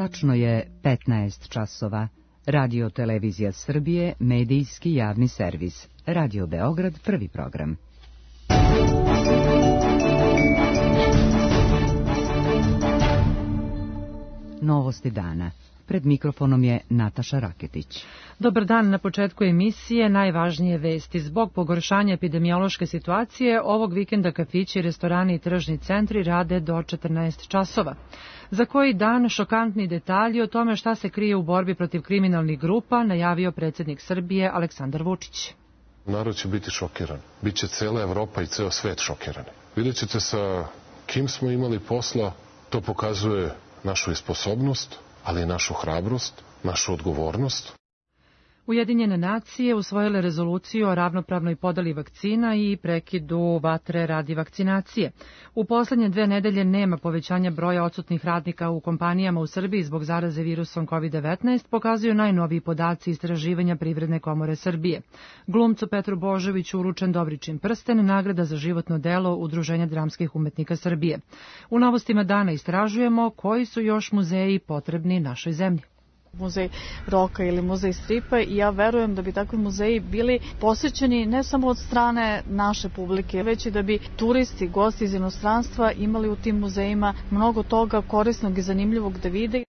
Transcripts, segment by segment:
Tačno je 15 časova. Radio Televizija Srbije, medijski javni servis. Radio Beograd, prvi program. Novosti dana. Pred mikrofonom je Nataša Raketić. Dobar dan, na početku emisije najvažnije vesti. Zbog pogoršanja epidemiološke situacije, ovog vikenda kafići, restorani i tržni centri rade do 14 časova. Za koji dan šokantni detalji o tome šta se krije u borbi protiv kriminalnih grupa najavio predsjednik Srbije Aleksandar Vučić. Narod će biti šokiran. Biće cela Evropa i ceo svet šokirani. Vidjet ćete sa kim smo imali posla, to pokazuje našu sposobnost, ali i našu hrabrost, našu odgovornost. Ujedinjene nacije usvojile rezoluciju o ravnopravnoj podeli vakcina i prekidu vatre radi vakcinacije. U poslednje 2 nedelje nema povećanja broja odsutnih radnika u kompanijama u Srbiji zbog zaraze virusom COVID-19, pokazuju najnoviji podaci istraživanja Privredne komore Srbije. Glumcu Petru Božoviću uručen Dobričin prsten, nagrada za životno delo Udruženja dramskih umetnika Srbije. U novostima dana istražujemo koji su još muzeji potrebni našoj zemlji. Muzej roka ili muzej stripa i ja verujem da bi takvi muzeji bili posjećeni ne samo od strane naše publike, već i da bi turisti, gosti iz inostranstva imali u tim muzejima mnogo toga korisnog i zanimljivog da vide.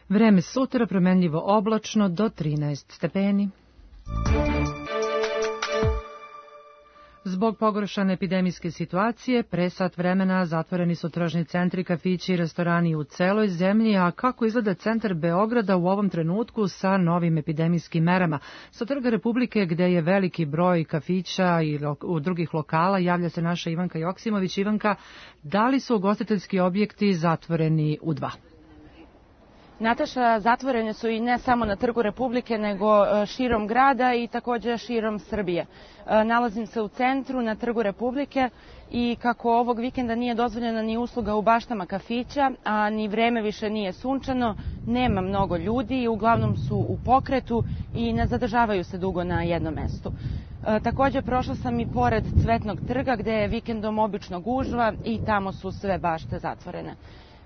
Vreme sutra promenljivo oblačno do 13 stepeni. Zbog pogoršane epidemijske situacije, pre sat vremena zatvoreni su tržni centri, kafići i restorani u celoj zemlji, a kako izgleda centar Beograda u ovom trenutku sa novim epidemijskim merama? Sa Trga Republike, gde je veliki broj kafića i drugih lokala, javlja se naša Ivanka Joksimović. Ivanka, da li su ugostiteljski objekti zatvoreni u 2? Nataša, zatvorene su i ne samo na Trgu Republike, nego širom grada i također širom Srbije. Nalazim se u centru, na Trgu Republike, i kako ovog vikenda nije dozvoljena ni usluga u baštama kafića, a ni vreme više nije sunčano, nema mnogo ljudi, uglavnom su u pokretu i ne zadržavaju se dugo na jednom mestu. Također prošla sam i pored Cvetnog trga, gde je vikendom obično gužva i tamo su sve bašte zatvorene.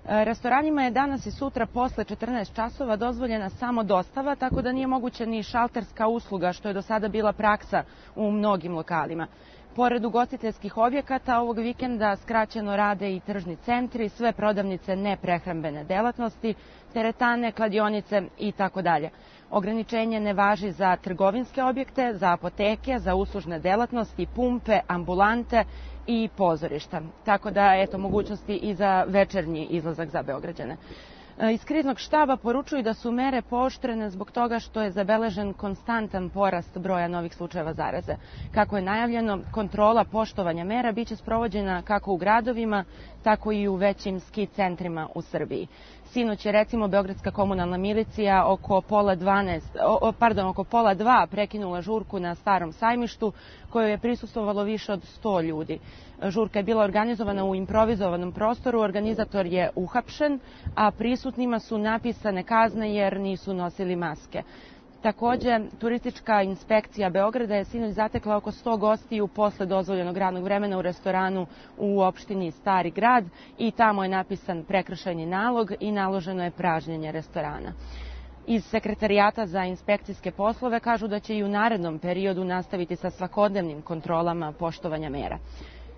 Restoranima je danas i sutra posle 14 časova dozvoljena samo dostava, tako da nije moguće ni šalterska usluga, što je do sada bila praksa u mnogim lokalima. Pored ugostiteljskih objekata, ovog vikenda skraćeno rade i tržni centri, sve prodavnice neprehrambene delatnosti, teretane, kladionice i tako dalje. Ograničenje ne važi za trgovinske objekte, za apoteke, za uslužne delatnosti, pumpe, ambulante i pozorišta. Tako da, eto, mogućnosti i za večernji izlazak za Beograđane. Iz kriznog štaba poručuju da su mere pooštrene zbog toga što je zabeležen konstantan porast broja novih slučajeva zaraze. Kako je najavljeno, kontrola poštovanja mera biće sprovođena kako u gradovima, tako i u većim ski centrima u Srbiji. Sinoć je, recimo, Beogradska komunalna milicija oko pola 2 prekinula žurku na Starom sajmištu, kojoj je prisustvovalo više od 100 ljudi. Žurka je bila organizovana u improvizovanom prostoru, organizator je uhapšen, a prisutnima su napisane kazne jer nisu nosili maske. Također, turistička inspekcija Beograda je sinoć zatekla oko 100 gostiju posle dozvoljenog radnog vremena u restoranu u opštini Stari grad i tamo je napisan prekršajni nalog i naloženo je pražnjenje restorana. Iz Sekretarijata za inspekcijske poslove kažu da će i u narednom periodu nastaviti sa svakodnevnim kontrolama poštovanja mera.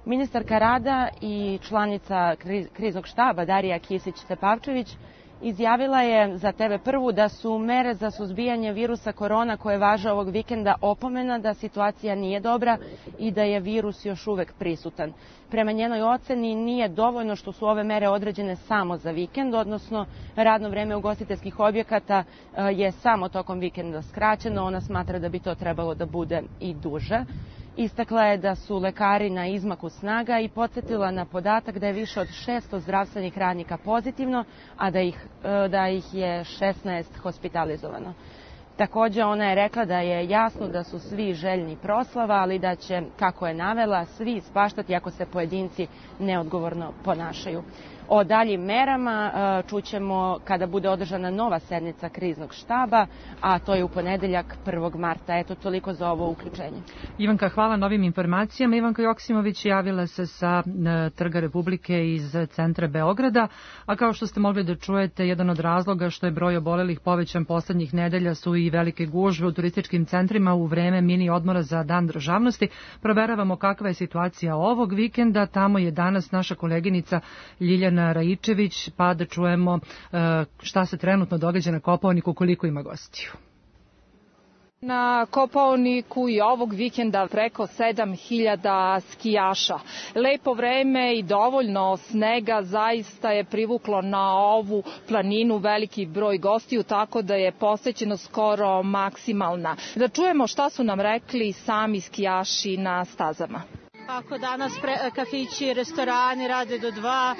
Ministarka rada i članica kriznog štaba Darija Kisić-Tepavčević izjavila je za TV1 da su mere za suzbijanje virusa korona koje važe ovog vikenda opomena da situacija nije dobra i da je virus još uvek prisutan. Prema njenoj oceni nije dovoljno što su ove mere određene samo za vikend, odnosno radno vreme ugostiteljskih objekata je samo tokom vikenda skraćeno, ona smatra da bi to trebalo da bude i duže. Istakla je da su lekari na izmaku snaga i podsjetila na podatak da je više od 600 zdravstvenih radnika pozitivno, a da ih je 16 hospitalizovano. Takođe, ona je rekla da je jasno da su svi željni proslava, ali da će, kako je navela, svi ispaštati ako se pojedinci neodgovorno ponašaju. O daljim merama čućemo kada bude održana nova sednica kriznog štaba, a to je u ponedeljak 1. marta. Eto, toliko za ovo uključenje. Ivanka, hvala na ovim informacijama. Ivanka Joksimović javila se sa Trga Republike iz centra Beograda, a kao što ste mogli da čujete, jedan od razloga što je broj obolelih povećan poslednjih nedelja su i velike gužve u turističkim centrima u vreme mini odmora za Dan državnosti. Proveravamo kakva je situacija ovog vikenda. Tamo je danas naša koleginica Ljiljana Raičević, pa da čujemo šta se trenutno događa na Kopaoniku, koliko ima gostiju. Na Kopaoniku i ovog vikenda preko 7000 skijaša. Lepo vreme i dovoljno snega zaista je privuklo na ovu planinu veliki broj gostiju, tako da je posećenost skoro maksimalna. Da čujemo šta su nam rekli sami skijaši na stazama. Ako danas kafići i restorani rade do 2,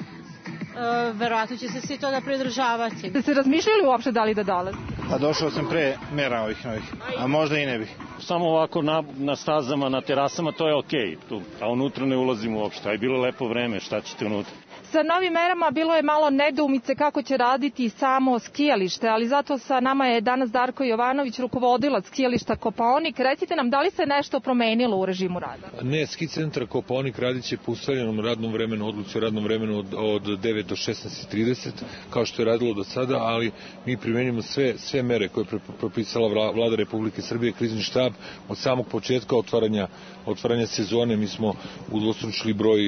verovatno će se svi toga pridržavati. Ste se razmišljali uopšte da li da dolaze? Pa došao sam pre mera ovih novih, a možda i ne bih. Samo ovako na stazama, na terasama, to je okej, a unutra ne ulazimo uopšte, a je bilo lepo vreme, šta ćete unutra? Sa novim merama bilo je malo nedoumice kako će raditi samo skijalište, ali zato sa nama je danas Darko Jovanović, rukovodilac skijališta Kopaonik. Recite nam, da li se nešto promenilo u režimu rada? Ne, ski centar Kopaonik radit će po ustaljenom radnom vremenu, odluci o radnom vremenu od 9 do 16:30, kao što je radilo do sada, ali mi primenjujemo sve mere koje je propisala Vlada Republike Srbije, krizni štab. Od samog početka otvaranja sezone mi smo udvostručili broj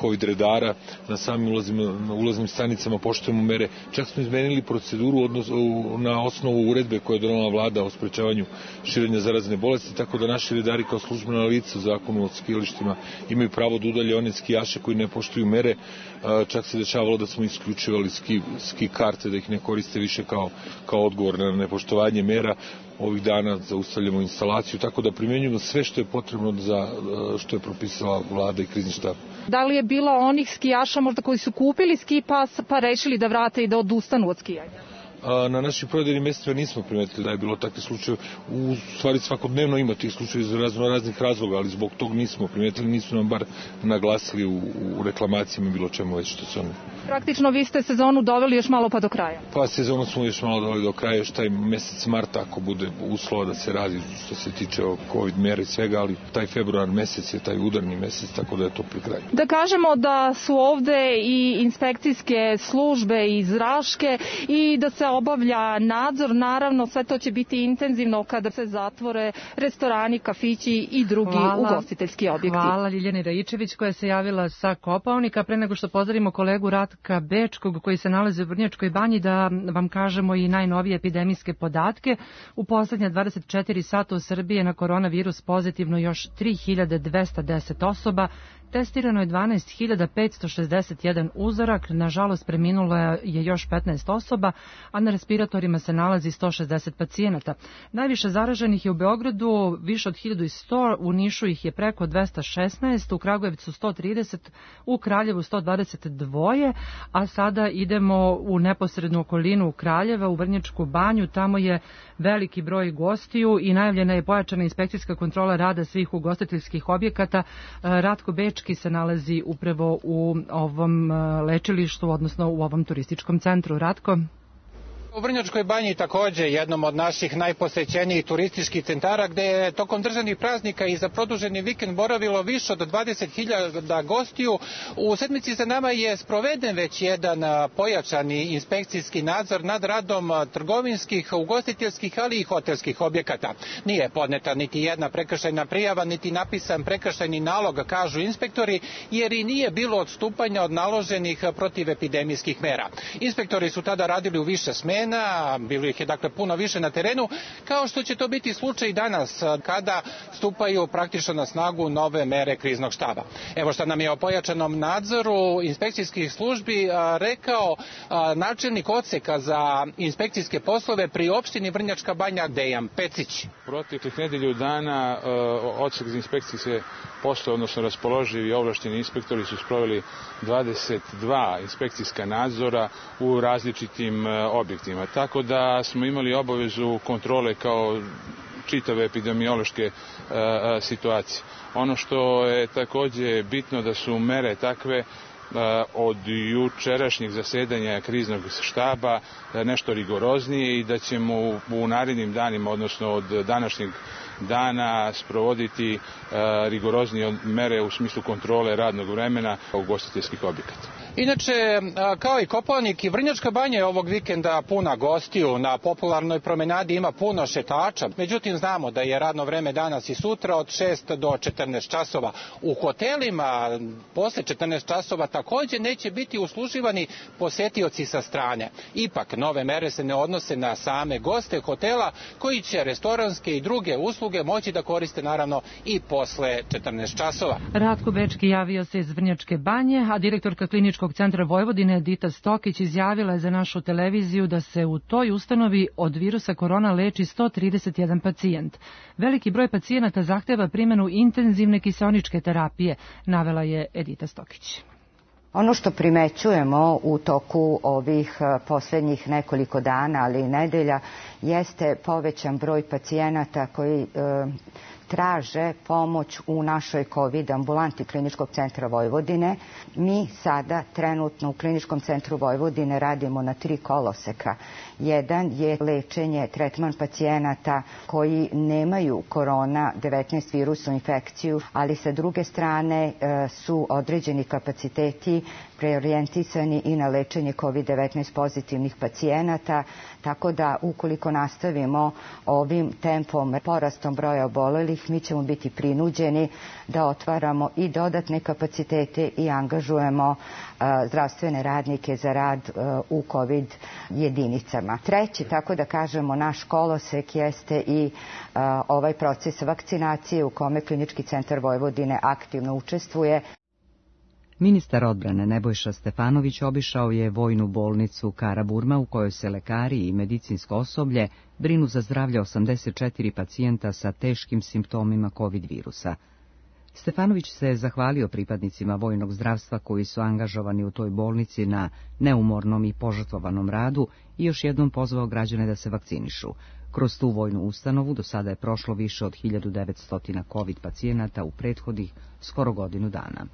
COVID redara na samim ulaznim stanicama, poštujemo mere. Čak smo izmenili proceduru na osnovu uredbe koje je donela Vlada o sprečavanju širenja zarazne bolesti, tako da naši redari kao službena lica u zakonu o skijalištima imaju pravo da udalje one skijaše koji ne poštuju mere. Čak se dešavalo da smo isključivali ski karte, da ih ne koriste više kao odgovor na nepoštovanje mera. Ovih dana zaustavljamo instalaciju, tako da primjenjujemo sve što je potrebno za što je propisala Vlada i krizni štab. Da li je bilo onih skijaša možda koji su kupili ski pas pa rešili da vrate i da odustanu od skijanja? Na našim prodajnim mestima nismo primetili da je bilo takve slučaje. U stvari svakodnevno ima tih slučaja iz raznih razloga, ali zbog tog nismo primetili, nisu nam bar naglasili u reklamacijama bilo čemu već što su oni. Praktično vi ste sezonu doveli još malo pa do kraja. Pa sezonu smo još malo doveli do kraja, još taj mesec marta ako bude uslova da se radi što se tiče COVID mera i svega, ali taj februar mesec je taj udarni mesec, tako da je to pri kraju. Da kažemo da su ovde i inspekcijske službe iz Raške i da se obavlja nadzor, naravno sve to će biti intenzivno kada se zatvore restorani, kafići i drugi ugostiteljski objekti. Hvala Ljiljani Raičević koja se javila sa Kopaonika. Pre nego što pozdravimo kolegu Ratka Bečkog koji se nalazi u Vrnjačkoj banji, da vam kažemo i najnovije epidemijske podatke. U poslednja 24 sata u Srbiji je na koronavirus pozitivno još 3210 osoba. Testirano je 12.561 uzorak, nažalost preminulo je još 15 osoba, a na respiratorima se nalazi 160 pacijenata. Najviše zaraženih je u Beogradu, više od 1100, u Nišu ih je preko 216, u Kragujevcu 130, u Kraljevu 122, a sada idemo u neposrednu okolinu Kraljeva, u Vrnjačku banju, tamo je veliki broj gostiju i najavljena je pojačana inspekcijska kontrola rada svih ugostiteljskih objekata. Ratko Bečki se nalazi upravo u ovom lečilištu, odnosno u ovom turističkom centru. Ratko? U Vrnjačkoj banji takođe jednom od naših najposećenijih turističkih centara gde je tokom državnih praznika i za produženi vikend boravilo više od 20.000 gostiju. U sedmici za nama je sproveden već jedan pojačani inspekcijski nadzor nad radom trgovinskih, ugostiteljskih, ali i hotelskih objekata. Nije podneta niti jedna prekršajna prijava, niti napisan prekršajni nalog, kažu inspektori, jer i nije bilo odstupanja od naloženih protivepidemijskih mera. Inspektori su tada radili u više smena, bilo ih je dakle puno više na terenu, kao što će to biti slučaj danas kada stupaju praktično na snagu nove mere kriznog štaba. Evo što nam je o pojačanom nadzoru inspekcijskih službi rekao načelnik odseka za inspekcijske poslove pri opštini Vrnjačka banja Dejan Pecić. Proteklih nedelju dana odsek za inspekcijske poslove, odnosno raspoloživi i ovlašteni inspektori su sproveli 22 inspekcijska nadzora u različitim objektima. građanima. Tako da smo imali obavezu kontrole kao čitave epidemiološke situacije. Ono što je takođe bitno da su mere takve od jučerašnjeg zasedanja kriznog štaba nešto rigoroznije i da ćemo u narednim danima, odnosno od današnjeg dana, sprovoditi rigoroznije mere u smislu kontrole radnog vremena ugostiteljskih objekata. Inače, kao i Kopaonik, i Vrnjačka Banja je ovog vikenda puna gostiju. Na popularnoj promenadi ima puno šetača. Međutim, znamo da je radno vreme danas i sutra od 6 do 14 časova. U hotelima posle 14 časova takođe neće biti usluživani posetioci sa strane. Ipak, nove mere se ne odnose na same goste hotela, koji će restoranske i druge usluge moći da koriste naravno i posle 14 časova. Ratko Bečki javio se iz Vrnjačke Banje, a direktorka Kliničkog centra Vojvodine Edita Stokić izjavila je za našu televiziju da se u toj ustanovi od virusa korona leči 131 pacijent. Veliki broj pacijenata zahteva primjenu intenzivne kiseoničke terapije, navela je Edita Stokić. Ono što primećujemo u toku ovih posljednjih nekoliko dana, ali i nedelja, jeste povećan broj pacijenata koji traže pomoć u našoj COVID ambulanti Kliničkog centra Vojvodine. Mi sada trenutno u Kliničkom centru Vojvodine radimo na 3 koloseka. Jedan je lečenje, tretman pacijenata koji nemaju korona-19 virusnu infekciju, ali sa druge strane su određeni kapaciteti preorijentisani i na lečenje COVID-19 pozitivnih pacijenata, tako da ukoliko nastavimo ovim tempom porastom broja obolelih, mi ćemo biti prinuđeni da otvaramo i dodatne kapacitete i angažujemo zdravstvene radnike za rad u COVID jedinicama. Treći, tako da kažemo, naš kolosek jeste i ovaj proces vakcinacije u kome Klinički centar Vojvodine aktivno učestvuje. Ministar odbrane Nebojša Stefanović obišao je vojnu bolnicu Karaburma u kojoj se lekari i medicinsko osoblje brinu za zdravlje 84 pacijenta sa teškim simptomima COVID virusa. Stefanović se zahvalio pripadnicima vojnog zdravstva koji su angažovani u toj bolnici na neumornom i požrtvovanom radu i još jednom pozvao građane da se vakcinišu. Kroz tu vojnu ustanovu do sada je prošlo više od 1900 COVID pacijenata u prethodnih skoro godinu dana.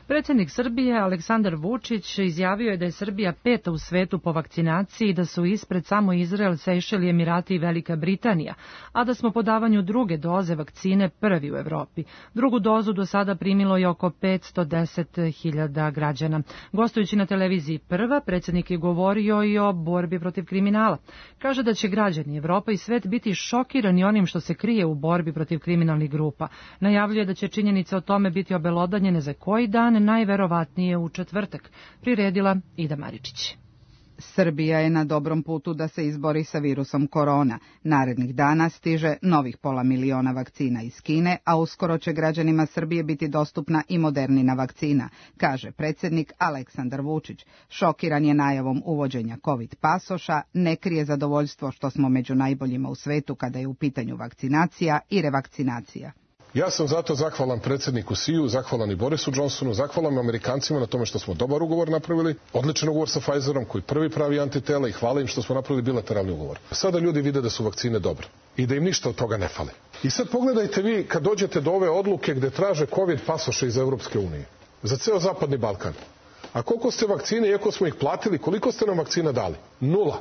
Predsjednik Srbije Aleksandar Vučić izjavio je da je Srbija 5. u svetu po vakcinaciji, da su ispred samo Izrael, Sejšeli, Emirati i Velika Britanija, a da smo po davanju druge doze vakcine prvi u Evropi. Drugu dozu do sada primilo je oko 510.000 građana. Gostujući na televiziji Prva, predsjednik je govorio i o borbi protiv kriminala. Kaže da će građani, Evropa i svet biti šokirani onim što se krije u borbi protiv kriminalnih grupa. Najavljuje da će činjenice o tome biti obelodanjene za koji dan, najverovatnije u četvrtak, priredila Ida Maričić. Srbija je na dobrom putu da se izbori sa virusom korona. Narednih dana stiže novih 500.000 vakcina iz Kine, a uskoro će građanima Srbije biti dostupna i modernina vakcina, kaže predsjednik Aleksandar Vučić. Šokiran je najavom uvođenja COVID pasoša, ne krije zadovoljstvo što smo među najboljima u svetu kada je u pitanju vakcinacija i revakcinacija. Ja sam zato zahvalan predsjedniku Siju, zahvalan i Borisu Johnsonu, zahvalan Amerikancima na tome što smo dobar ugovor napravili, odličan ugovor sa Pfizerom koji prvi pravi antitela i hvala im što smo napravili bilateralni ugovor. Sada ljudi vide da su vakcine dobre i da im ništa od toga ne fali. I sad pogledajte vi kad dođete do ove odluke gde traže COVID pasoše iz Evropske unije za ceo Zapadni Balkan. A koliko ste vakcine, iako smo ih platili, koliko ste nam vakcina dali? 0.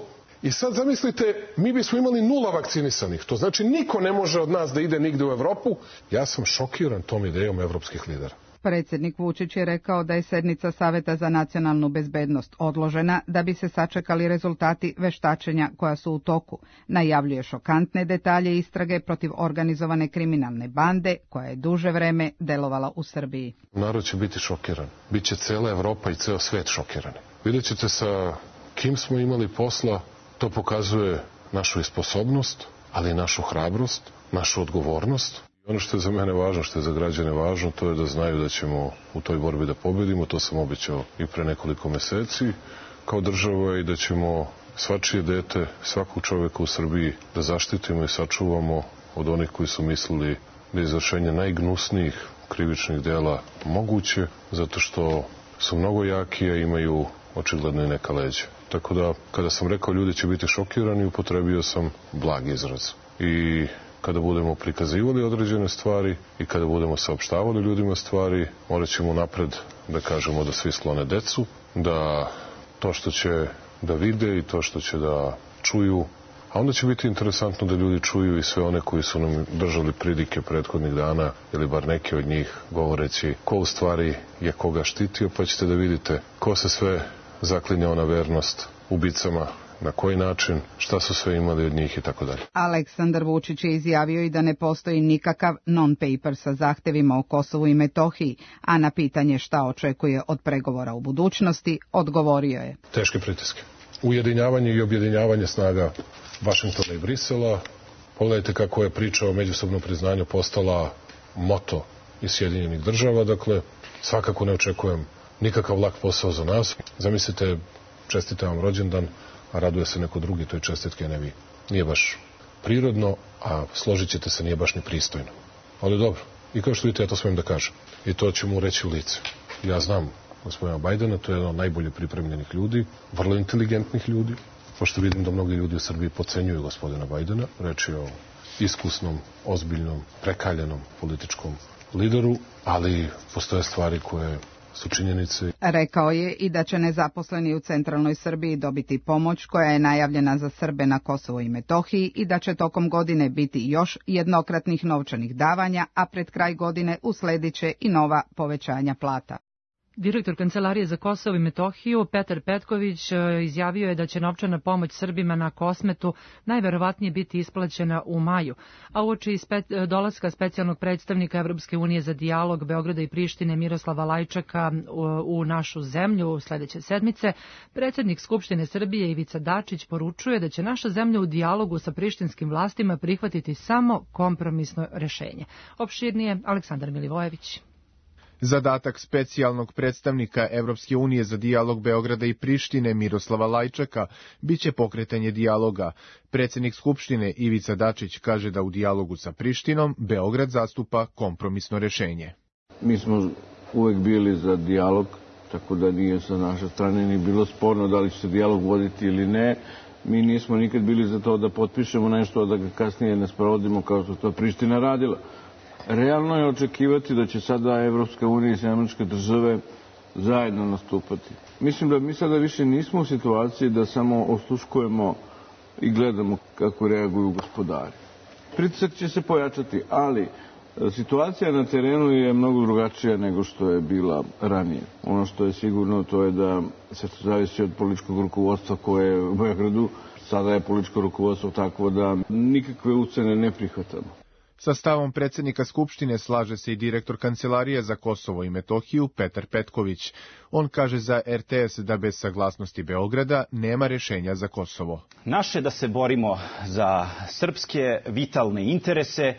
I sad zamislite, mi bismo imali 0 vakcinisanih. To znači niko ne može od nas da ide nigde u Evropu. Ja sam šokiran tom idejom evropskih lidera. Predsjednik Vučić je rekao da je sednica Saveta za nacionalnu bezbednost odložena da bi se sačekali rezultati veštačenja koja su u toku. Najavljuje šokantne detalje istrage protiv organizovane kriminalne bande koja je duže vreme delovala u Srbiji. Narod će biti šokiran. Biće cela Evropa i ceo svet šokirani. Vidjet ćete sa kim smo imali posla. To pokazuje našu sposobnost, ali i našu hrabrost, našu odgovornost. Ono što je za mene važno, što je za građane važno, to je da znaju da ćemo u toj borbi da pobedimo. To sam obećao i pre nekoliko meseci kao država i da ćemo svačije dete, svakog čoveka u Srbiji da zaštitimo i sačuvamo od onih koji su mislili da je izvršenje najgnusnijih krivičnih dela moguće, zato što su mnogo jaki, a imaju očigledno i neka leđa. Tako da, kada sam rekao ljudi će biti šokirani, upotrebio sam blag izraz. I kada budemo prikazivali određene stvari i kada budemo saopštavali ljudima stvari, morat ćemo napred da kažemo da svi sklone decu, da to što će da vide i to što će da čuju, a onda će biti interesantno da ljudi čuju i sve one koji su nam držali pridike prethodnih dana, ili bar neki od njih, govoreći ko u stvari je koga štitio, pa ćete da vidite ko se sve zaklinjao na vernost ubicama, na koji način, šta su sve imali od njih i tako dalje. Aleksandar Vučić je izjavio i da ne postoji nikakav non-paper sa zahtevima o Kosovu i Metohiji, a na pitanje šta očekuje od pregovora u budućnosti, odgovorio je. Teške pritiske. Ujedinjavanje i objedinjavanje snaga Vašingtona i Brisela. Pogledajte kako je priča o međusobnom priznanju postala moto iz Sjedinjenih država. Dakle, svakako ne očekujem nikakav lak posao za nas. Zamislite, čestite vam rođendan, a raduje se neko drugi, to je čestitke, ne vi. Nije baš prirodno, a složit ćete se, nije baš ni pristojno. Ali dobro, i kao što vidite, ja to smijem da kažem. I to ću mu reći u lice. Ja znam gospodina Bajdena, to je jedan od najbolje pripremljenih ljudi, vrlo inteligentnih ljudi, pošto vidim da mnogi ljudi u Srbiji podcenjuju gospodina Bajdena. Reč je o iskusnom, ozbiljnom, prekaljenom političkom lideru, ali postoje stvari koje su činjenice. Rekao je i da će nezaposleni u centralnoj Srbiji dobiti pomoć koja je najavljena za Srbe na Kosovu i Metohiji i da će tokom godine biti još jednokratnih novčanih davanja, a pred kraj godine usledit će i nova povećanja plata. Direktor Kancelarije za Kosovo i Metohiju Petar Petković izjavio je da će novčana pomoć Srbima na Kosmetu najverovatnije biti isplaćena u maju, a uoči dolaska specijalnog predstavnika Evropske unije za dijalog Beograda i Prištine Miroslava Lajčaka u našu zemlju sledeće sedmice, predsjednik Skupštine Srbije Ivica Dačić poručuje da će naša zemlja u dijalogu sa prištinskim vlastima prihvatiti samo kompromisno rešenje. Opširnije Aleksandar Milivojević. Zadatak specijalnog predstavnika Evropske unije za dijalog Beograda i Prištine Miroslava Lajčaka biće pokretanje dijaloga. Predsjednik Skupštine Ivica Dačić kaže da u dijalogu sa Prištinom Beograd zastupa kompromisno rešenje. Mi smo uvek bili za dijalog, tako da nije sa naše strane ni bilo sporno da li će se dijalog voditi ili ne. Mi nismo nikad bili za to da potpišemo nešto, a da ga kasnije ne sprovodimo kao što to Priština radila. Realno je očekivati da će sada Evropska unija i Američke države zajedno nastupati. Mislim da mi sada više nismo u situaciji da samo osluškujemo i gledamo kako reaguju gospodari. Pritisak će se pojačati, ali situacija na terenu je mnogo drugačija nego što je bila ranije. Ono što je sigurno to je da se zavisi od političkog rukovodstva koje je u Beogradu. Sada je političko rukovodstvo takvo da nikakve ucene ne prihvatamo. Sa stavom predsjednika Skupštine slaže se i direktor Kancelarije za Kosovo i Metohiju Petar Petković. On kaže za RTS da bez saglasnosti Beograda nema rešenja za Kosovo. Naše da se borimo za srpske vitalne interese.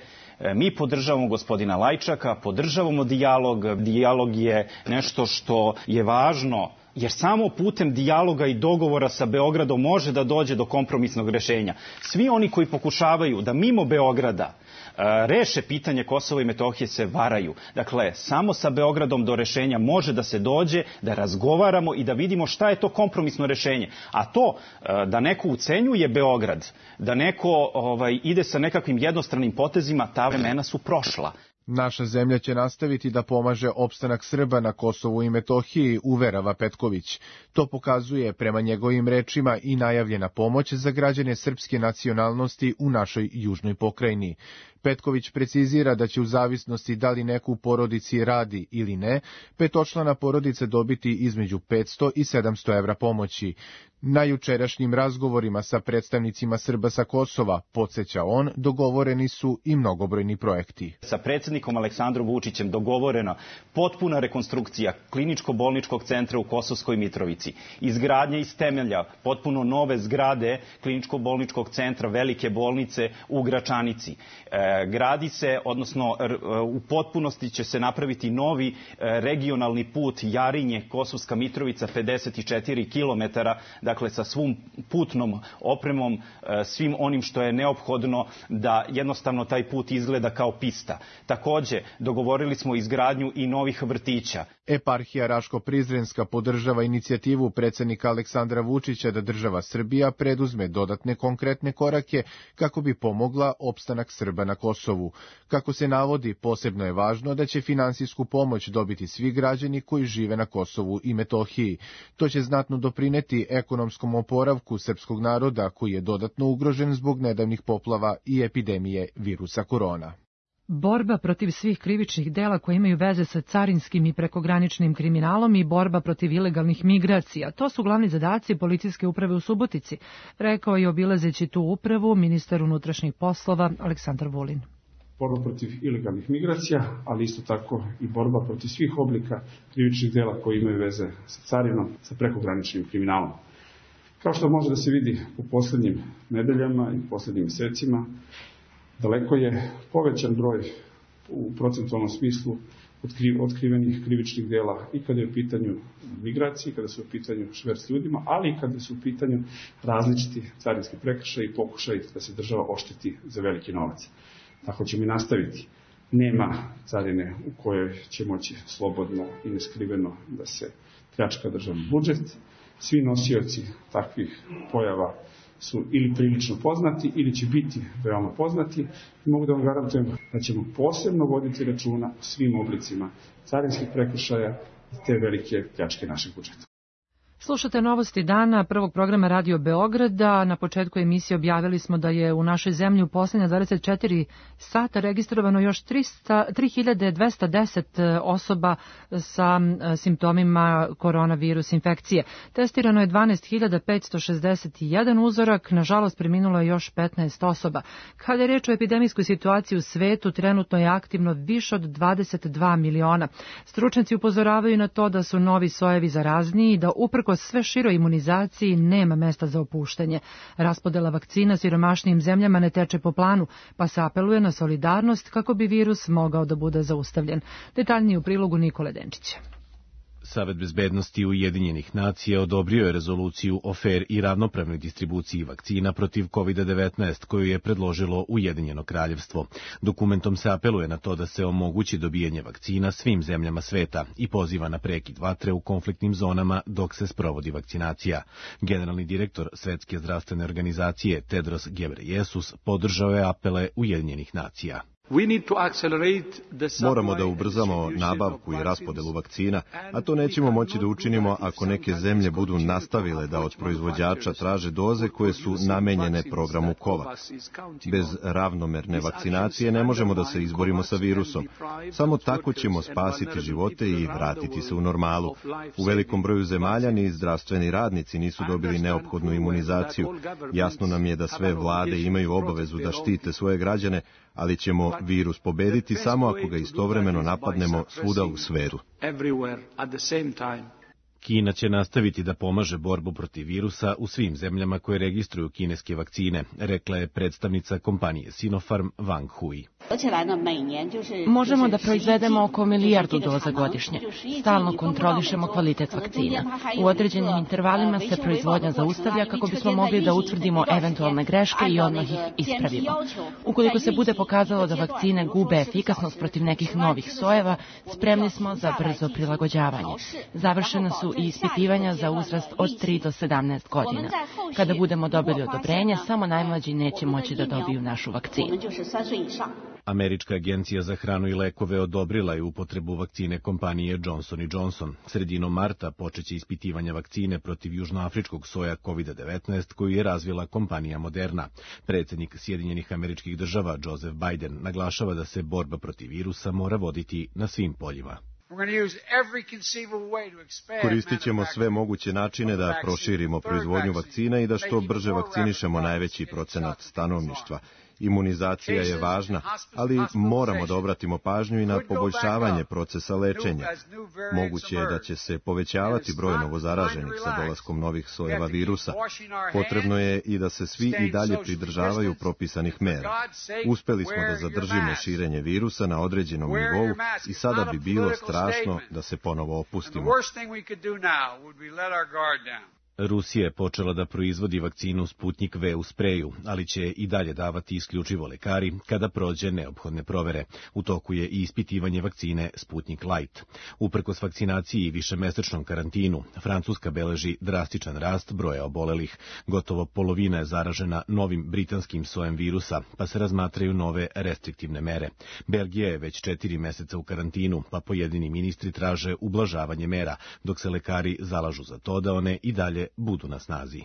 Mi podržavamo gospodina Lajčaka, podržavamo dijalog. Dijalog je nešto što je važno, jer samo putem dijaloga i dogovora sa Beogradom može da dođe do kompromisnog rešenja. Svi oni koji pokušavaju da mimo Beograda reše pitanje Kosova i Metohije se varaju. Dakle, samo sa Beogradom do rešenja može da se dođe, da razgovaramo i da vidimo šta je to kompromisno rešenje. A to da neko ucenjuje Beograd, da neko ide sa nekakvim jednostranim potezima, ta vremena su prošla. Naša zemlja će nastaviti da pomaže opstanak Srba na Kosovu i Metohiji, uverava Petković. To pokazuje, prema njegovim rečima, i najavljena pomoć za građane srpske nacionalnosti u našoj južnoj pokrajini. Petković precizira da će u zavisnosti da li neko u porodici radi ili ne, petočlana porodica dobiti između 500 i 700 evra pomoći. Na jučerašnjim razgovorima sa predstavnicima Srba sa Kosova, podsjeća on, dogovoreni su i mnogobrojni projekti. Sa predsjednikom Aleksandrom Vučićem dogovorena potpuna rekonstrukcija kliničko-bolničkog centra u Kosovskoj Mitrovici, izgradnja iz temelja potpuno nove zgrade kliničko-bolničkog centra velike bolnice u Gračanici. Gradi se, odnosno u potpunosti će se napraviti novi regionalni put Jarinje, Kosovska Mitrovica, 54 kilometara. dakle sa svom putnom opremom, svim onim što je neophodno da jednostavno taj put izgleda kao pista. Takođe, dogovorili smo izgradnju i novih vrtića. Eparhija Raško-Prizrenska podržava inicijativu predsjednika Aleksandra Vučića da država Srbija preduzme dodatne konkretne korake kako bi pomogla opstanak Srba na Kosovu. Kako se navodi, posebno je važno da će finansijsku pomoć dobiti svi građani koji žive na Kosovu i Metohiji. To će znatno doprineti ekonomskom oporavku srpskog naroda koji je dodatno ugrožen zbog nedavnih poplava i epidemije virusa korona. Borba protiv svih krivičnih dela koje imaju veze sa carinskim i prekograničnim kriminalom i borba protiv ilegalnih migracija. To su glavni zadaci policijske uprave u Subotici, rekao je obilazeći tu upravu ministar unutrašnjih poslova Aleksandar Vulin. Borba protiv ilegalnih migracija, ali isto tako i borba protiv svih oblika krivičnih dela koji imaju veze sa carinom, sa prekograničnim kriminalom. Kao što može da se vidi u poslednjim nedeljama i poslednjim mesecima, daleko je povećan broj u procentualnom smislu otkrivenih krivičnih dela i kada je u pitanju migracije, kada su u pitanju šverc ljudima, ali i kada su u pitanju različiti carinski prekršaji i pokušaj da se država ošteti za veliki novac. Tako ćemo i nastaviti. Nema carine u kojoj će moći slobodno i neskriveno da se pljačka državni budžet. Svi nosioci takvih pojava su ili prilično poznati ili će biti veoma poznati i mogu da vam garantujem da ćemo posebno voditi računa o svim oblicima carinskih prekršaja i te velike pljačke našeg budžeta. Slušate novosti dana prvog programa Radio Beograda. Na početku emisije objavili smo da je u našoj zemlji u poslednja 24 sata registrovano još 3210 osoba sa simptomima koronavirus infekcije. Testirano je 12.561 uzorak, nažalost preminulo je još 15 osoba. Kada je reč o epidemijskoj situaciji u svetu, trenutno je aktivno više od 22 miliona. Stručnjaci upozoravaju na to da su novi sojevi zarazniji i da uprkos sve široj imunizaciji nema mesta za opuštanje. Raspodela vakcina siromašnijim zemljama ne teče po planu, pa se apeluje na solidarnost kako bi virus mogao da bude zaustavljen. Detaljnije u prilogu Nikole Denčića. Savet bezbednosti Ujedinjenih nacija odobrio je rezoluciju o fer i ravnopravnoj distribuciji vakcina protiv COVID-19 koju je predložilo Ujedinjeno kraljevstvo. Dokumentom se apeluje na to da se omogući dobijanje vakcina svim zemljama sveta i poziva na prekid vatre u konfliktnim zonama dok se sprovodi vakcinacija. Generalni direktor Svetske zdravstvene organizacije Tedros Ghebreyesus podržao je apele Ujedinjenih nacija. Moramo da ubrzamo nabavku i raspodelu vakcina, a to nećemo moći da učinimo ako neke zemlje budu nastavile da od proizvođača traže doze koje su namenjene programu COVAX. Bez ravnomerne vakcinacije ne možemo da se izborimo sa virusom. Samo tako ćemo spasiti živote i vratiti se u normalu. U velikom broju zemalja ni zdravstveni radnici nisu dobili neophodnu imunizaciju. Jasno nam je da sve vlade imaju obavezu da štite svoje građane, ali ćemo virus pobediti samo ako ga istovremeno napadnemo svuda u svetu. Kina će nastaviti da pomaže borbu protiv virusa u svim zemljama koje registruju kineske vakcine, rekla je predstavnica kompanije Sinopharm Wang Hui. Možemo da proizvedemo oko 1 milijardu doza godišnje. Stalno kontrolišemo kvalitet vakcina. U određenim intervalima se proizvodnja zaustavlja kako bismo mogli da utvrdimo eventualne greške i odmah ih ispravimo. Ukoliko se bude pokazalo da vakcine gube efikasnost protiv nekih novih sojeva, spremni smo za brzo prilagođavanje. Završena su i ispitivanja za uzrast od 3 do 17 godina. Kada budemo dobili odobrenje, samo najmlađi neće moći da dobiju našu vakcinu. Američka agencija za hranu i lekove odobrila je upotrebu vakcine kompanije Johnson & Johnson. Sredinom marta počeće ispitivanja vakcine protiv južnoafričkog soja COVID-19 koju je razvila kompanija Moderna. Predsjednik Sjedinjenih Američkih Država Joseph Biden naglašava da se borba protiv virusa mora voditi na svim poljima. Koristit ćemo sve moguće načine da proširimo proizvodnju vakcina i da što brže vakcinišemo najveći procenat stanovništva. Imunizacija je važna, ali moramo da obratimo pažnju i na poboljšavanje procesa lečenja. Moguće je da će se povećavati broj novozaraženih sa dolaskom novih sojeva virusa. Potrebno je i da se svi i dalje pridržavaju propisanih mera. Uspeli smo da zadržimo širenje virusa na određenom nivou i sada bi bilo strašno da se ponovo opustimo. Rusija je počela da proizvodi vakcinu Sputnik V u spreju, ali će i dalje davati isključivo lekari kada prođe neophodne provere. U toku je i ispitivanje vakcine Sputnik Light. Uprkos vakcinaciji i višemesečnom karantinu, Francuska beleži drastičan rast broja obolelih. Gotovo polovina je zaražena novim britanskim sojem virusa, pa se razmatraju nove restriktivne mere. Belgija je već 4 meseca u karantinu, pa pojedini ministri traže ublažavanje mera, dok se lekari zalažu za to da one i dalje budu na snazi.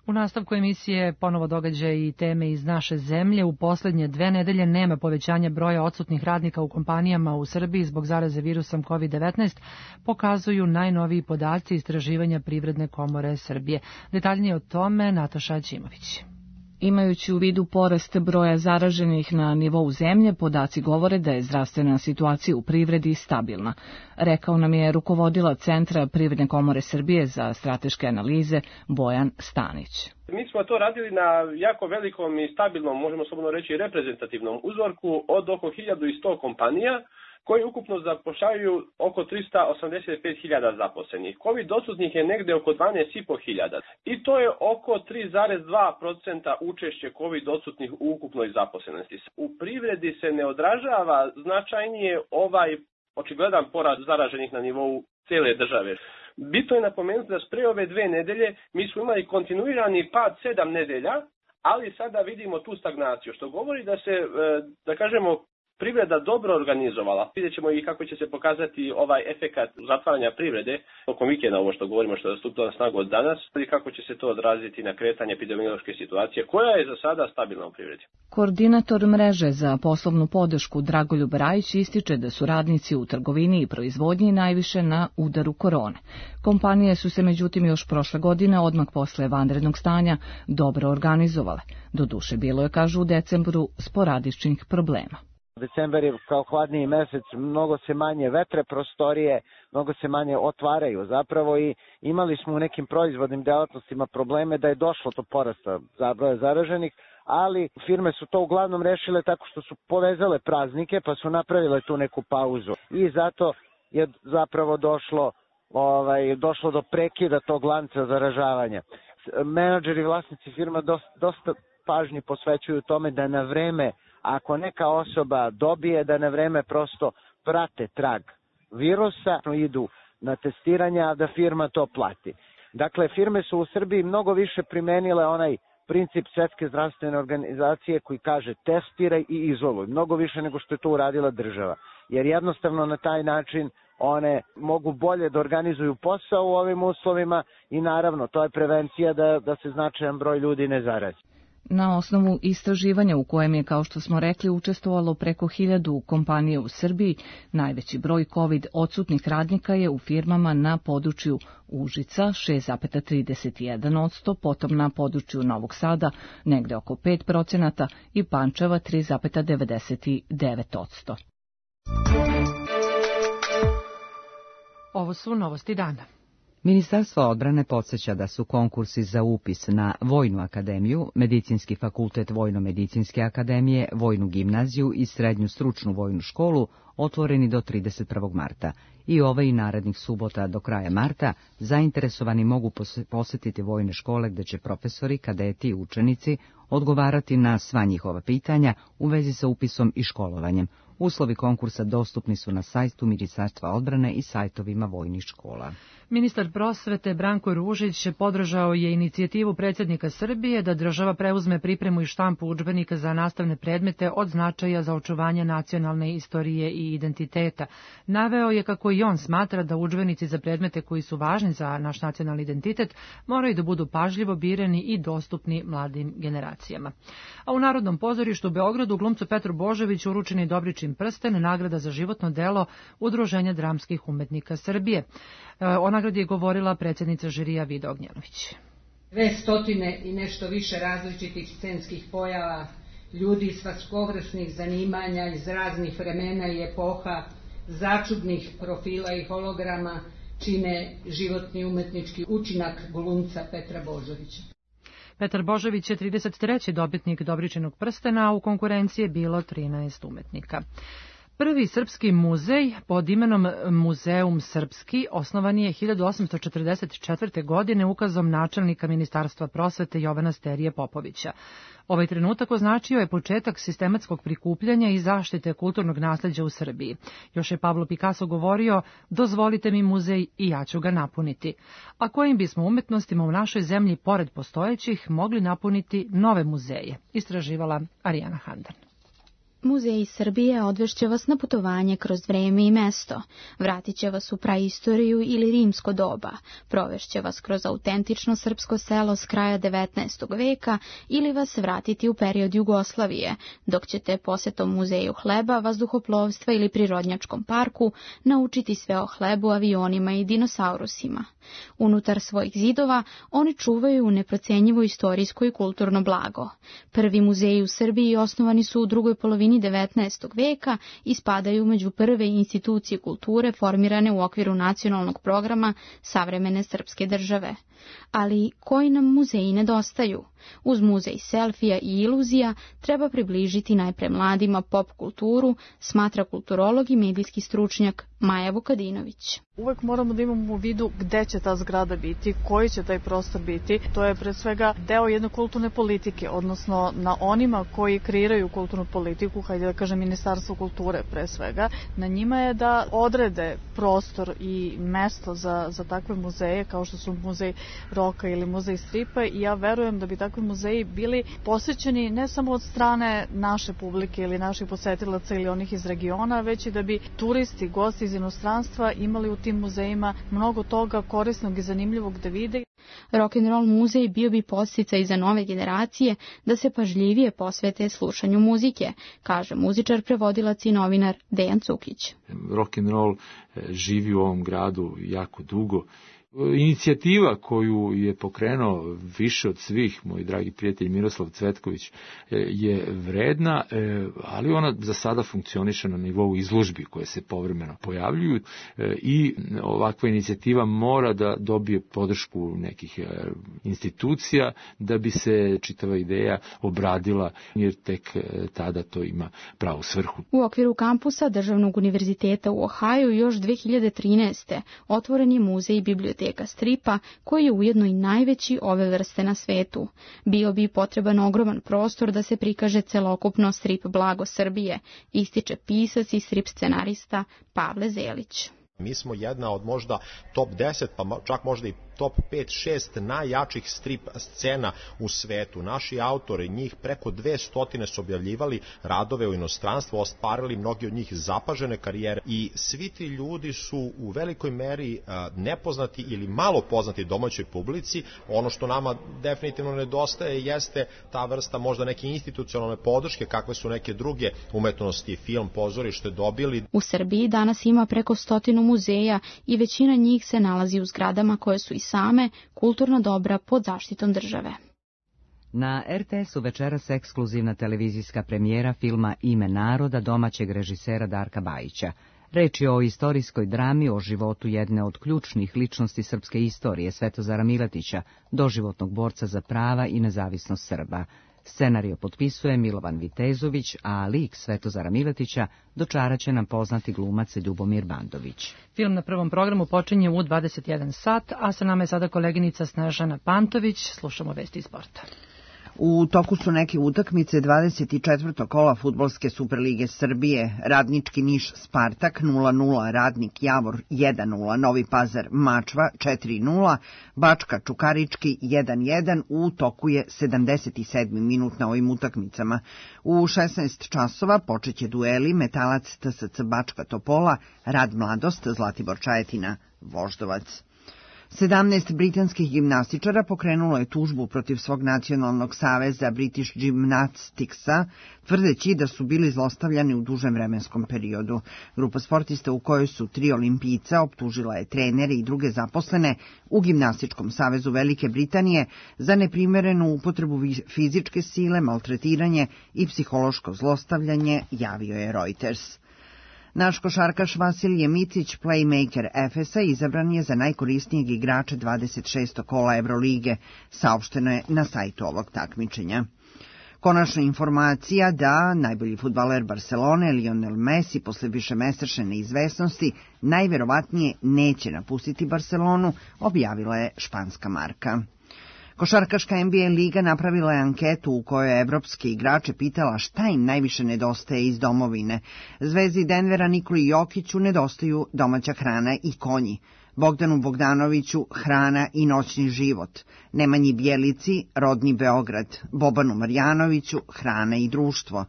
U nastavku emisije ponovo događaje i teme iz naše zemlje. U poslednje 2 nedelje nema povećanja broja odsutnih radnika u kompanijama u Srbiji zbog zaraze virusom COVID-19, pokazuju najnoviji podaci istraživanja Privredne komore Srbije. Detaljnije o tome Nataša Ćimović. Imajući u vidu porast broja zaraženih na nivou zemlje, podaci govore da je zdravstvena situacija u privredi stabilna. Rekao nam je rukovodilac Centra Privredne komore Srbije za strateške analize Bojan Stanić. Mi smo to radili na jako velikom i stabilnom, možemo slobodno reći reprezentativnom uzorku od oko 1100 kompanija, koji ukupno zapošljavaju oko 385.000 zaposlenih. Covid odsutnih je negde oko 12.500 i to je oko 3,2% učešće Covid odsutnih u ukupnoj zaposlenosti. U privredi se ne odražava značajnije ovaj očigledan porast zaraženih na nivou cele države. Bitno je napomenuti da pre ove 2 nedelje mi smo imali kontinuirani pad 7 nedelja, ali sada vidimo tu stagnaciju, što govori da se, da kažemo, privreda dobro organizovala. Vidjet ćemo i kako će se pokazati ovaj efekat zatvaranja privrede tokom vikenda, ovo što govorimo, što je stupilo na snagu od danas, i kako će se to odraziti na kretanje epidemiološke situacije, koja je za sada stabilna u privredi. Koordinator mreže za poslovnu podršku Dragoljub Rajić ističe da su radnici u trgovini i proizvodnji najviše na udaru korone. Kompanije su se međutim još prošle godine, odmah posle vanrednog stanja, dobro organizovale. Doduše bilo je, kažu, u decembru sporadičnih problema. Decembar je kao hladniji mesec, mnogo se manje vetre prostorije, mnogo se manje otvaraju zapravo i imali smo u nekim proizvodnim delatnostima probleme da je došlo do porasta broja zaraženih, ali firme su to uglavnom rešile tako što su povezale praznike pa su napravile tu neku pauzu i zato je zapravo došlo do prekida tog lanca zaražavanja. Menadžeri i vlasnici firma dosta pažnje posvećuju tome da na vreme, ako neka osoba dobije, da na vreme prosto prate trag virusa, idu na testiranja, a da firma to plati. Dakle, firme su u Srbiji mnogo više primenile onaj princip Svetske zdravstvene organizacije koji kaže testiraj i izoluj, mnogo više nego što je to uradila država. Jer jednostavno na taj način one mogu bolje da organizuju posao u ovim uslovima i naravno to je prevencija da se značajan broj ljudi ne zarazi. Na osnovu istraživanja u kojem je, kao što smo rekli, učestvovalo preko 1000 kompanije u Srbiji, najveći broj COVID odsutnih radnika je u firmama na području Užica 6,31%, potom na području Novog Sada negde oko 5% i Pančeva 3,99%. Ovo su novosti dana. Ministarstvo odbrane podsjeća da su konkursi za upis na Vojnu akademiju, Medicinski fakultet Vojno-medicinske akademije, Vojnu gimnaziju i Srednju stručnu vojnu školu otvoreni do 31. marta. I ove i narednih subota do kraja marta zainteresovani mogu posjetiti vojne škole gdje će profesori, kadeti i učenici odgovarati na sva njihova pitanja u vezi sa upisom i školovanjem. Uslovi konkursa dostupni su na sajtu Ministarstva odbrane i sajtovima vojnih škola. Ministar prosvete Branko Ružić podržao je inicijativu predsjednika Srbije da država preuzme pripremu i štampu udžbenika za nastavne predmete od značaja za očuvanje nacionalne istorije i identiteta. Naveo je kako i on smatra da udžbenici za predmete koji su važni za naš nacionalni identitet moraju da budu pažljivo birani i dostupni mladim generacijama. A u Narodnom pozorištu u Beogradu glumcu Petru Božoviću uručen je Dobričin prsten, nagrada za životno delo Udruženja dramskih umetnika Srbije. O nagradi je govorila predsjednica žirija Vida Ognjanović. 200 i nešto više različitih scenskih pojava, ljudi svakogvršnih zanimanja iz raznih vremena i epoha, začudnih profila i holograma čine životni umetnički učinak glumca Petra Božovića. Petar Božović je 33. dobitnik Dobričinog prstena, a u konkurenciji je bilo 13 umetnika. Prvi srpski muzej pod imenom Muzeum Srpski osnovan je 1844. godine ukazom načelnika Ministarstva prosvete Jovana Sterije Popovića. Ovaj trenutak označio je početak sistematskog prikupljanja i zaštite kulturnog nasleđa u Srbiji. Još je Pablo Picasso govorio: dozvolite mi muzej i ja ću ga napuniti. A kojim bismo umetnostima u našoj zemlji pored postojećih mogli napuniti nove muzeje, istraživala Arijana Handan. Muzej Srbije odvešće vas na putovanje kroz vreme i mesto, vratit će vas u praistoriju ili rimsko doba, provešće vas kroz autentično srpsko selo s kraja 19. veka ili vas vratiti u period Jugoslavije, dok ćete posetom muzeju hleba, vazduhoplovstva ili prirodnjačkom parku naučiti sve o hlebu, avionima i dinosaurusima. Unutar svojih zidova oni čuvaju neprocenjivo istorijsko i kulturno blago. Prvi muzeji u Srbiji osnovani su u drugoj polovini 19. veka i spadaju među prve institucije kulture formirane u okviru nacionalnog programa savremene srpske države. Ali koji nam muzeji nedostaju? Uz muzej selfija i iluzija treba približiti najpre mladima pop kulturu, smatra kulturolog i medijski stručnjak Maja Vukadinović. Uvek moramo da imamo u vidu gde će ta zgrada biti, koji će taj prostor biti. To je pre svega deo jedne kulturne politike, odnosno na onima koji kreiraju kulturnu politiku, hajde da kažem Ministarstvo kulture pre svega, na njima je da odrede prostor i mesto za takve muzeje kao što su muzej roka ili muzej stripa i ja verujem da bi takvi muzeji bili posvećeni ne samo od strane naše publike ili naših posetilaca ili onih iz regiona, već i da bi turisti, gosti iz inostranstva imali u tim muzejima mnogo toga korisnog i zanimljivog da vide. Rock'n'roll muzej bio bi podsticaj za nove generacije da se pažljivije posvete slušanju muzike, kaže muzičar, prevodilac i novinar Dejan Cukić. Rock'n'roll živi u ovom gradu jako dugo. Inicijativa koju je pokrenuo više od svih, moj dragi prijatelj Miroslav Cvetković, je vredna, ali ona za sada funkcioniše na nivou izložbi koje se povremeno pojavljuju i ovakva inicijativa mora da dobije podršku nekih institucija da bi se čitava ideja obradila, jer tek tada to ima pravu svrhu. U okviru kampusa Državnog univerziteta u Ohaju još 2013. otvoren je muzej i biblioteka stripa, koji je ujedno i najveći ove vrste na svetu. Bio bi potreban ogroman prostor da se prikaže celokupno strip blago Srbije, ističe pisac i strip scenarista Pavle Zelić. Mi smo jedna od možda top 10, pa čak možda i top 5-6 najjačih strip scena u svetu. Naši autori, njih preko 200 su objavljivali radove u inostranstvu, ostvarili mnogi od njih zapažene karijere i svi ti ljudi su u velikoj meri nepoznati ili malo poznati domaćoj publici. Ono što nama definitivno nedostaje jeste ta vrsta možda neke institucionalne podrške kakve su neke druge umetnosti, film, pozorište dobili. U Srbiji danas ima preko 100 muzeja i većina njih se nalazi u zgradama koje su i same kulturna dobra pod zaštitom države. Na RTS-u večeras ekskluzivna televizijska premijera filma Ime naroda domaćeg režisera Darka Bajića. Reč je o istorijskoj drami o životu jedne od ključnih ličnosti srpske istorije, Svetozara Miletića, doživotnog borca za prava i nezavisnost Srba. Scenario potpisuje Milovan Vitezović, a lik Svetozara Miletića dočaraće nam poznati glumac Ljubomir Bandović. Film na prvom programu počinje u 21 sat, a sa nama je sada koleginica Snežana Pantović. Slušamo vesti iz sporta. U toku su neke utakmice 24. kola Fudbalske Superlige Srbije. Radnički Niš Spartak 0-0, Radnik Javor 1-0, Novi Pazar Mačva 4-0, Bačka Čukarički 1-1, u toku je 77. minut na ovim utakmicama. U 16 časova počeće dueli Metalac TSC Bačka Topola, Rad Mladost Zlatibor Čajetina Voždovac. 17 britanskih gimnastičara pokrenulo je tužbu protiv svog nacionalnog saveza British Gymnasticsa, tvrdeći da su bili zlostavljani u dužem vremenskom periodu. Grupa sportista u kojoj su 3 olimpijca optužila je trenere i druge zaposlene u Gimnastičkom savezu Velike Britanije za neprimerenu upotrebu fizičke sile, maltretiranje i psihološko zlostavljanje, javio je Reuters. Naš košarkaš Vasilije Micić, playmaker Efesa, izabran je za najkorisnijeg igrača 26. kola Evrolige, saopšteno je na sajtu ovog takmičenja. Konačna informacija da najbolji fudbaler Barcelone, Lionel Messi, posle višemesečne neizvesnosti, najverovatnije neće napustiti Barcelonu, objavila je španska Marka. Košarkaška NBA liga napravila je anketu u kojoj je evropske igrače pitala šta im najviše nedostaje iz domovine. Zvezdi Denvera Nikoli Jokiću nedostaju domaća hrana i konji. Bogdanu Bogdanoviću hrana i noćni život, Nemanji Bjelici rodni Beograd, Bobanu Marjanoviću hrana i društvo.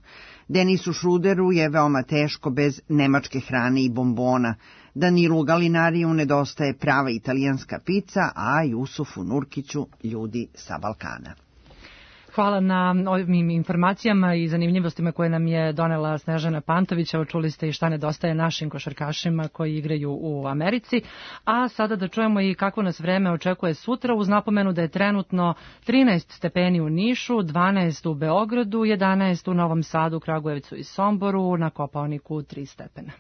Denisu Šruderu je veoma teško bez nemačke hrane i bombona. Danilu Galinariju nedostaje prava italijanska pica, a Jusufu Nurkiću ljudi sa Balkana. Hvala na ovim informacijama i zanimljivostima koje nam je donela Snežana Pantović. Čuli ste i šta nedostaje našim košarkašima koji igraju u Americi. A sada da čujemo i kako nas vreme očekuje sutra, uz napomenu da je trenutno 13 stepeni u Nišu, 12 u Beogradu, 11 u Novom Sadu, Kragujevcu i Somboru, na Kopaoniku 3 stepena.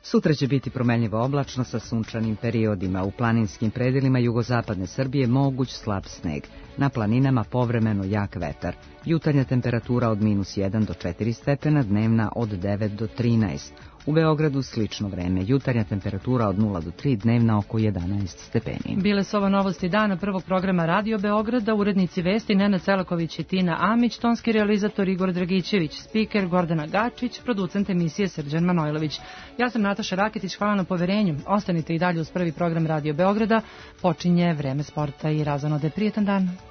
Sutra će biti promenljivo oblačno sa sunčanim periodima. U planinskim predelima jugozapadne Srbije moguć slab sneg. Na planinama povremeno jak vetar. Jutarnja temperatura od -1 do 4 stepena, dnevna od 9 do 13. U Beogradu slično vreme. Jutarnja temperatura od 0 do 3, dnevna oko 11 stepeni. Bile su ovo novosti dana prvog programa Radio Beograda, urednici vesti Nena Celaković i Tina Amić, tonski realizator Igor Dragićević, spiker Gordana Gačić, producent emisije Srđan Manojlović. Ja sam Nataša Raketić, hvala na poverenju. Ostanite i dalje uz prvi program Radio Beograda. Počinje vreme sporta i razonode. Prijetan dan.